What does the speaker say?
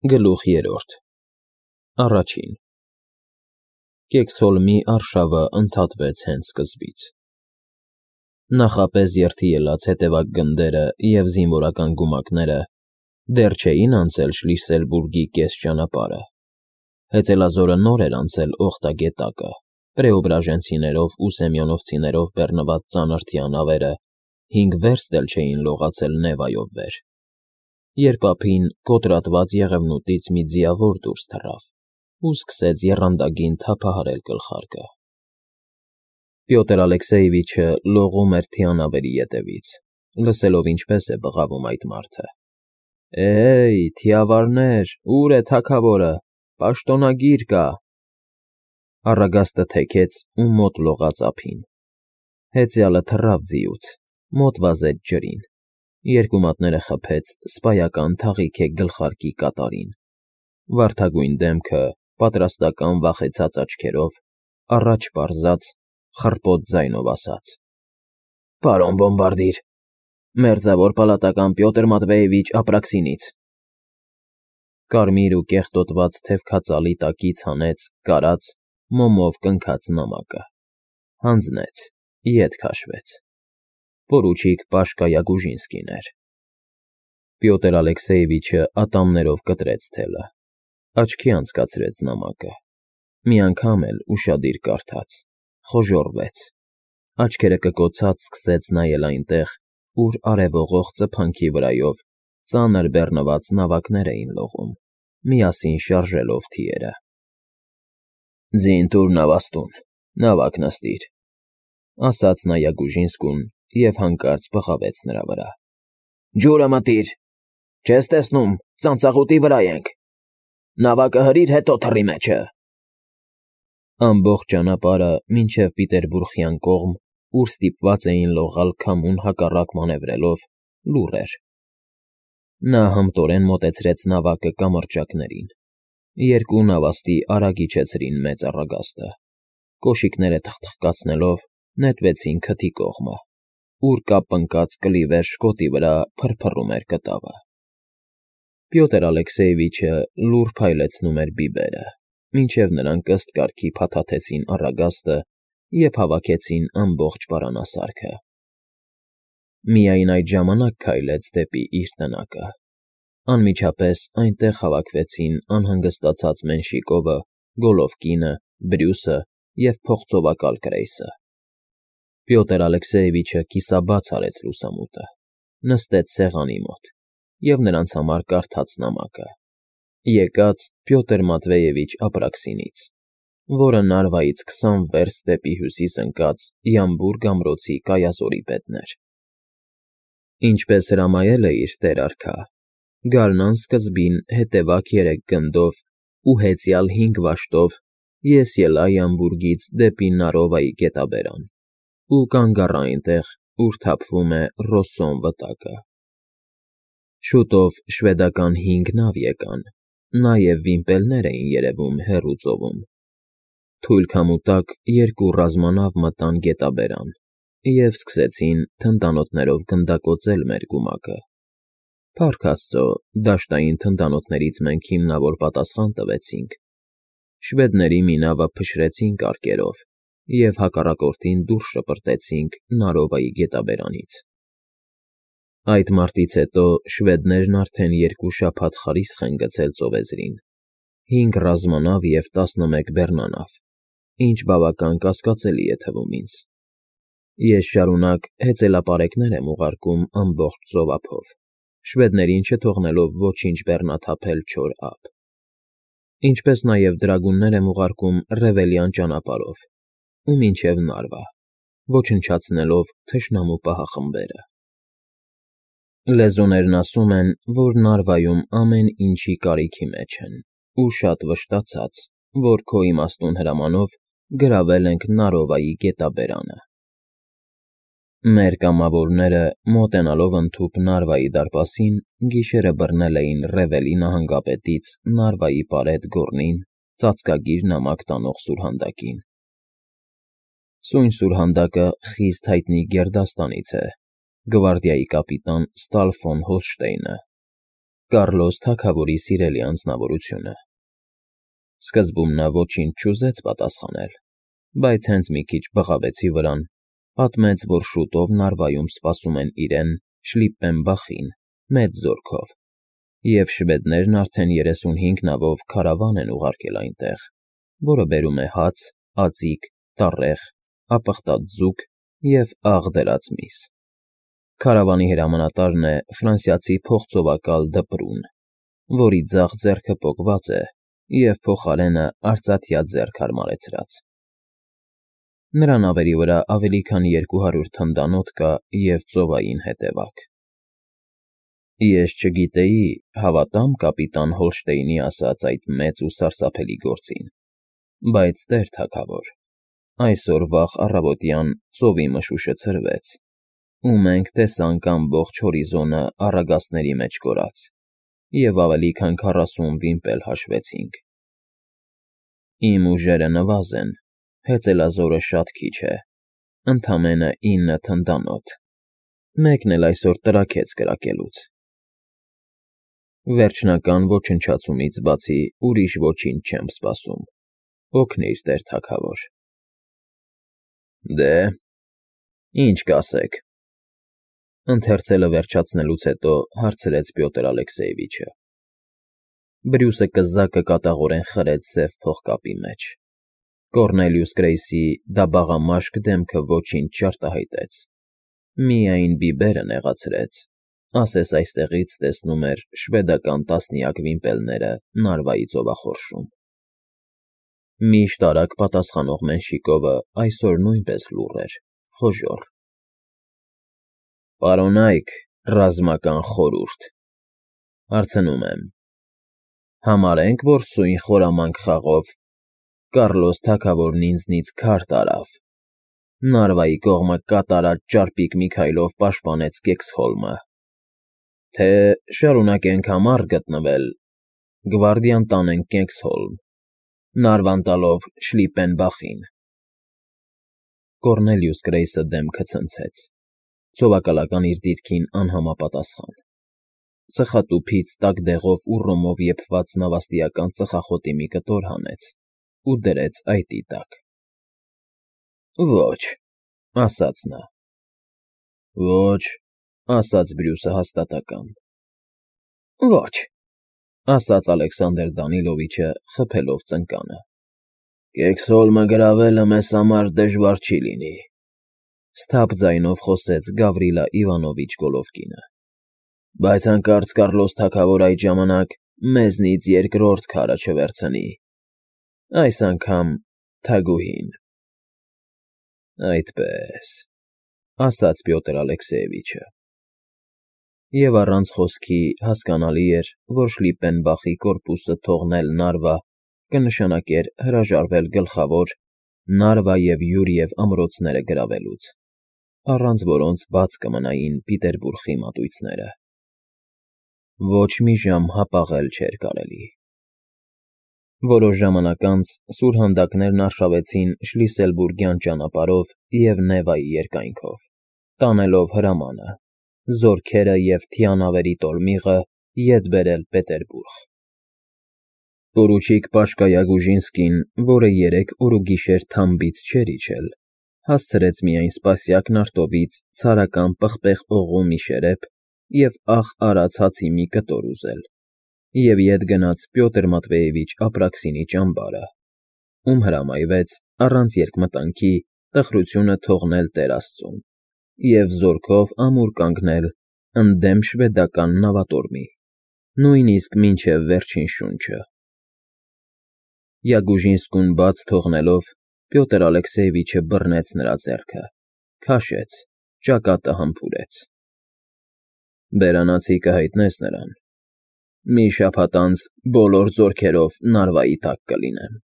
Գլուխ 3 Առաջին Կեքսհոլմի արշավը ընդհատվեց հենց սկզբից. նախապես երթի ելած հետևակ գնդերը և զինվորական գումակները դեռ չէին անցել Շլիսելբուրգի կես ճանապարհը, հեծելազորը նոր էր անցել Օխտագետակը, պրեոբրաժենցիներով ու սեմյոնովցիներով բեռնված ծանր թիանավերը 5 վերստ էլ չէին լողացել Նևայով վեր, երբ ափին կոտրատված եղևնուտից մի ձիավոր դուրս թռավ ու սկսեց եռանդագին թափահարել գլխարկը։ Պյոտր Ալեքսեևիչը լողում էր թիանավերի ետևից, լսելով ինչպես է բղավում այդ մարդը. «Էհեյ, թիավարներ, ո՞ւր է թագավորը, պաշտոնագիր կա»։ Առագաստը թեքեց ու մոտ լողաց ափին։ Հեծյալը թռավ ձիուց, մոտ վազեց ջրին, երկու մատները խփեց սպայական թաղիքե գլխարկի կատարին, վարդագույն դեմքը պատրաստական վախեցած աչքերով, առաջ պարզած, խռպոտ ձայնով ասաց. «Պարոն բոմբարդիր, մերձավոր պալատական Պյոտր Մատվեևիչ Ապրաքսինից»։ Կարմիր ու կեղտոտված թևքածալի տակից հանեց կարած, մոմով կնքած նամակը, հանձնեց, ետ քաշվեց. պորուչիկ Պաշկա Յագուժինսկին էր։ Պյոտր Ալեքսեևիչը ատամներով կտրեց թելը, աչքի անցկացրեց նամակը, մի անգամ էլ ուշադիր կարդաց, խոժոռվեց, աչքերը կկոցած սկսեց նայել այնտեղ, ուր արևողող ծփանքի վրայով ծանր բեռնված նավակներ էին լողում, միասին շարժելով թիերը։ «Ձին տուր նավաստուն, նավակ նստիր», ասաց նա Յագուժինսկուն և հանկարծ բղավեց նրա վրա. «Ջուրը մտիր, չես տեսնում, ծանծաղուտի վրա ենք, նավակը հրիր, հետո թռի մեջը»։ Ամբողջ ճանապարհը մինչև Պիտերբուրգյան կողմ, ուր ստիպված էին լողալ քամուն հակառակ մանևրելով, լուռ էր։ Նա հմտորեն մոտեցրեց նավակը կամրջակներին, երկու նավաստի արագ իջեցրին մեծ առագաստը, կոշիկները թխթխկացնելով նետվեցին քթի կողմը, ուր կապ ընկած կլիվեր շկոտի վրա փրփռում էր կտավը։ Պյոտր Ալեքսեևիչը լուռ փայլեցնում էր բիբերը, մինչև նրանք ըստ կարգի փաթաթեցին առագաստը և հավաքեցին ամբողջ պարանասարքը։ Միայն այդ ժամանակ քայլեց դեպի իր տնակը։ Անմիջապես այնտեղ հավաքվեցին անհանգստացած Մենշիկովը, Գոլովկինը, Բրյուսը և փողծովակալ Կրեյսը։ Պյոտր Ալեքսեևիչը կիսաբաց արեց լուսամուտը, նստեց սեղանի մոտ և նրանց համար կարդաց նամակը. եկած Պյոտր Մատվեևիչ Ապրաքսինից, որը Նարվայից 20 վերստ դեպի հյուսիս ընկած Յամբուրգ ամրոցի կայազորի պետն էր։ Ինչպես հրամայել է իր տեր֊արքա, գարնան սկզբին հետևակ 3 գնդով ու հեծյալ 5 վաշտով ես ելա Յամբուրգից դեպի Նարովայի գետաբերան ու կանգ առա այնտեղ, ուր թափվում է Ռոսսոն վտակը։ Շուտով շվեդական 5 նավ եկան, նաև վիմպելներ էին երևում հեռու ծովում։ Թույլ քամու տակ 2 ռազմանավ մտան գետաբերան և սկսեցին թնդանոթներով գնդակոծել մեր գումակը։ Փառք Աստծո, դաշտային թնդանոթներից մենք հիմնավոր պատասխան տվեցինք։ Շվեդների մի նավը փշրեցինք արկերով և հակառակորդին դուրս շպրտեցինք Նարովայի գետաբերանից։ Այդ մարտից հետո շվեդներն արդեն 2 շաբաթ խարիսխ են գցել ծովեզրին, 5 ռազմանավ և 11 բեռնանավ, ինչ բավական կասկածելի է թվում ինձ։ Ես շարունակ հեծելապարեկներ եմ ուղարկում ամբողջ ծովափով, շվեդներին չթողնելով ոչինչ բեռնաթափել չոր ափ, ինչպես նաև դրագուններ եմ ուղարկում Ռևելյան ճանապարհով ու մինչև Նարվա, ոչնչացնելով թշնամու պահախմբերը։ Լեզուներն ասում են, որ Նարվայում ամեն ինչի կարիքի մեջ են ու շատ վշտացած, որ քո իմաստուն հրամանով գրավել ենք Նարովայի գետաբերանը։ Մեր կամավորները, մոտենալով ընդհուպ Նարվայի դարպասին, գիշերը բռնել էին Ռևելի նահանգապետից Նարվայի պարետ Գոռնին ծածկագիր նամակ տանող սուրհանդակին։ Սույն սուրհանդակը խիստ հայտնի գերդաստանից է, գվարդիայի կապիտան Ստալ ֆոն Հոլշտեյնը, Կառլոս թագավորի սիրելի անձնավորությունը։ Սկզբում նա ոչինչ չուզեց պատասխանել, բայց հենց մի քիչ բղավեցի վրան, պատմեց, որ շուտով Նարվայում սպասում են իրեն, Շլիպպենբախին, մեծ զորքով, և շվեդներն արդեն 35 նավով քարավան են ուղարկել այնտեղ, որը բերում է հաց, ածիկ, տառեղ, ապխտած ձուկ և աղ դրած միս։ Քարավանի հրամանատարն է ֆրանսիացի փողծովակալ Դպրուն, որի ձախ ձեռքը պոկված է և փոխարենը արծաթյա ձեռք հարմարեցրած։ Նրա նավերի վրա ավելի քան 200 թնդանոթ կա և ծովային հետևակ։ Ես չգիտեի, հավատամ կապիտան Հոլշտեյնի ասած այդ մեծ ու սարսափելի գործին, բայց տեր թագավոր, այսօր վաղ առավոտյան ծովի մշուշը ցրվեց, ու մենք տեսանք ամբողջ հորիզոնը առագաստների մեջ կորած և ավելի քան 40 վիմպել հաշվեցինք։ Իմ ուժերը նվազ են, հեծելազորը շատ քիչ է, ընդամենը 9 թնդանոթ, մեկն էլ այսօր տրաքեց կրակելուց։ Վերջնական ոչնչացումից բացի ուրիշ ոչինչ չեմ սպասում, օգնիր, տեր թագավոր։ Դե, ինչ կասեք, ընթերցելը վերջացնելուց հետո հարցրեց Պյոտր Ալեքսեևիչը։ Բրյուսը կզակը կատաղորեն խրեց սև փողկապի մեջ։ Կոռնելիուս Գրեյսի դաբաղամաշկ դեմքը ոչինչ չարտահայտեց, միայն բիբերը նեղացրեց, ասես այստեղից տեսնում էր շվեդական տասնյակ վիմպելները Նարվայի ծովախորշում։ Միշտ արագ պատասխանող Մենշիկովը այսօր նույնպես լուռ էր, խոժոռ։ Պարոնայք, ռազմական խորհուրդ, հարցնում եմ, համարենք, որ սույն խորամանկ խաղով Կառլոս թագավորն ինձնից քար տարավ, Նարվայի կողմը կատարած ճարպիկ մի քայլով պաշտպանեց Կեքսհոլմը, թե շարունակենք համառ գտնվել, գվարդիան տանենք Կեքսհոլմ, Նարվան տալով Շլիպպենբախին։ Կոռնելիուս Գրեյսը դեմքը ցնցեց, ցովակալական իր դիրքին անհամապատասխան։ Ծխատուփից տաք դեղով ու ռոմով եփված նավաստիական ծխախոտի մի կտոր հանեց ու դրեց այտի տակ։ Ոչ, ասաց նա։ Ոչ, ասաց Բրյուսը հաստատակամ։ Ոչ, ասաց Ալեքսանդր Դանիլովիչը խփելով ծնկանը։ Կեքսհոլմը գրավելը մեզ համար դժվար չի լինի, սթափ ձայնով խոսեց Գավրիլա Իվանովիչ Գոլովկինը, բայց հանկարծ Կառլոս թագավոր այդ ժամանակ մեզնից երկրորդ քարը չվերցնի, այս անգամ թագուհին։ Այդպես, ասաց Պյոտր Ալեքսեևիչը։ Եվ առանց խոսքի հասկանալի էր, որ Շլիպպենբախի կորպուսը թողնել Նարվա կնշանակեր հրաժարվել գլխավոր Նարվա և Յուրիև ամրոցները գրավելուց, առանց որոնց բաց կմնային Պիտերբուրգի մատույցները։ Ոչ մի ժամ հապաղել չէր կարելի։ Որոշ ժամանակ անց սուրհանդակներն արշավեցին Շլիսելբուրգյան ճանապարհով և Նևայի երկայնքով, տանելով հրամանը, զորքերը և թիանավերի տոլմիղը ետ բերել Պետերբուրգ։ Պորուչիկ Պաշկա Յագուժինսկին, որը 3 օր ու գիշեր թամբից չէր իջել, հասցրեց միայն սպասյակ նարտովից ցարական պղպեղ օղու մի շերեփ և աղ արած հացի մի կտոր ուզել, և ետ գնաց Պյոտր Մատվեևիչ Ապրաքսինի ճամբարը, ում հրամայվեց առանց երկմտանքի տխրությունը թողնել Տեր Աստծուն և զորքով ամուր կանգնել ընդդեմ շվեդական նավատորմի, նույնիսկ մինչև վերջին շունչը։ Յագուժինսկուն բաց թողնելով Պյոտր Ալեքսեևիչը բռնեց նրա ձեռքը, քաշեց, ճակատը համբուրեց։ Բերանացի կհայտնես նրան։ Մի շաբաթ անց բոլոր զորքերով Նարվայի տակ կլինեմ։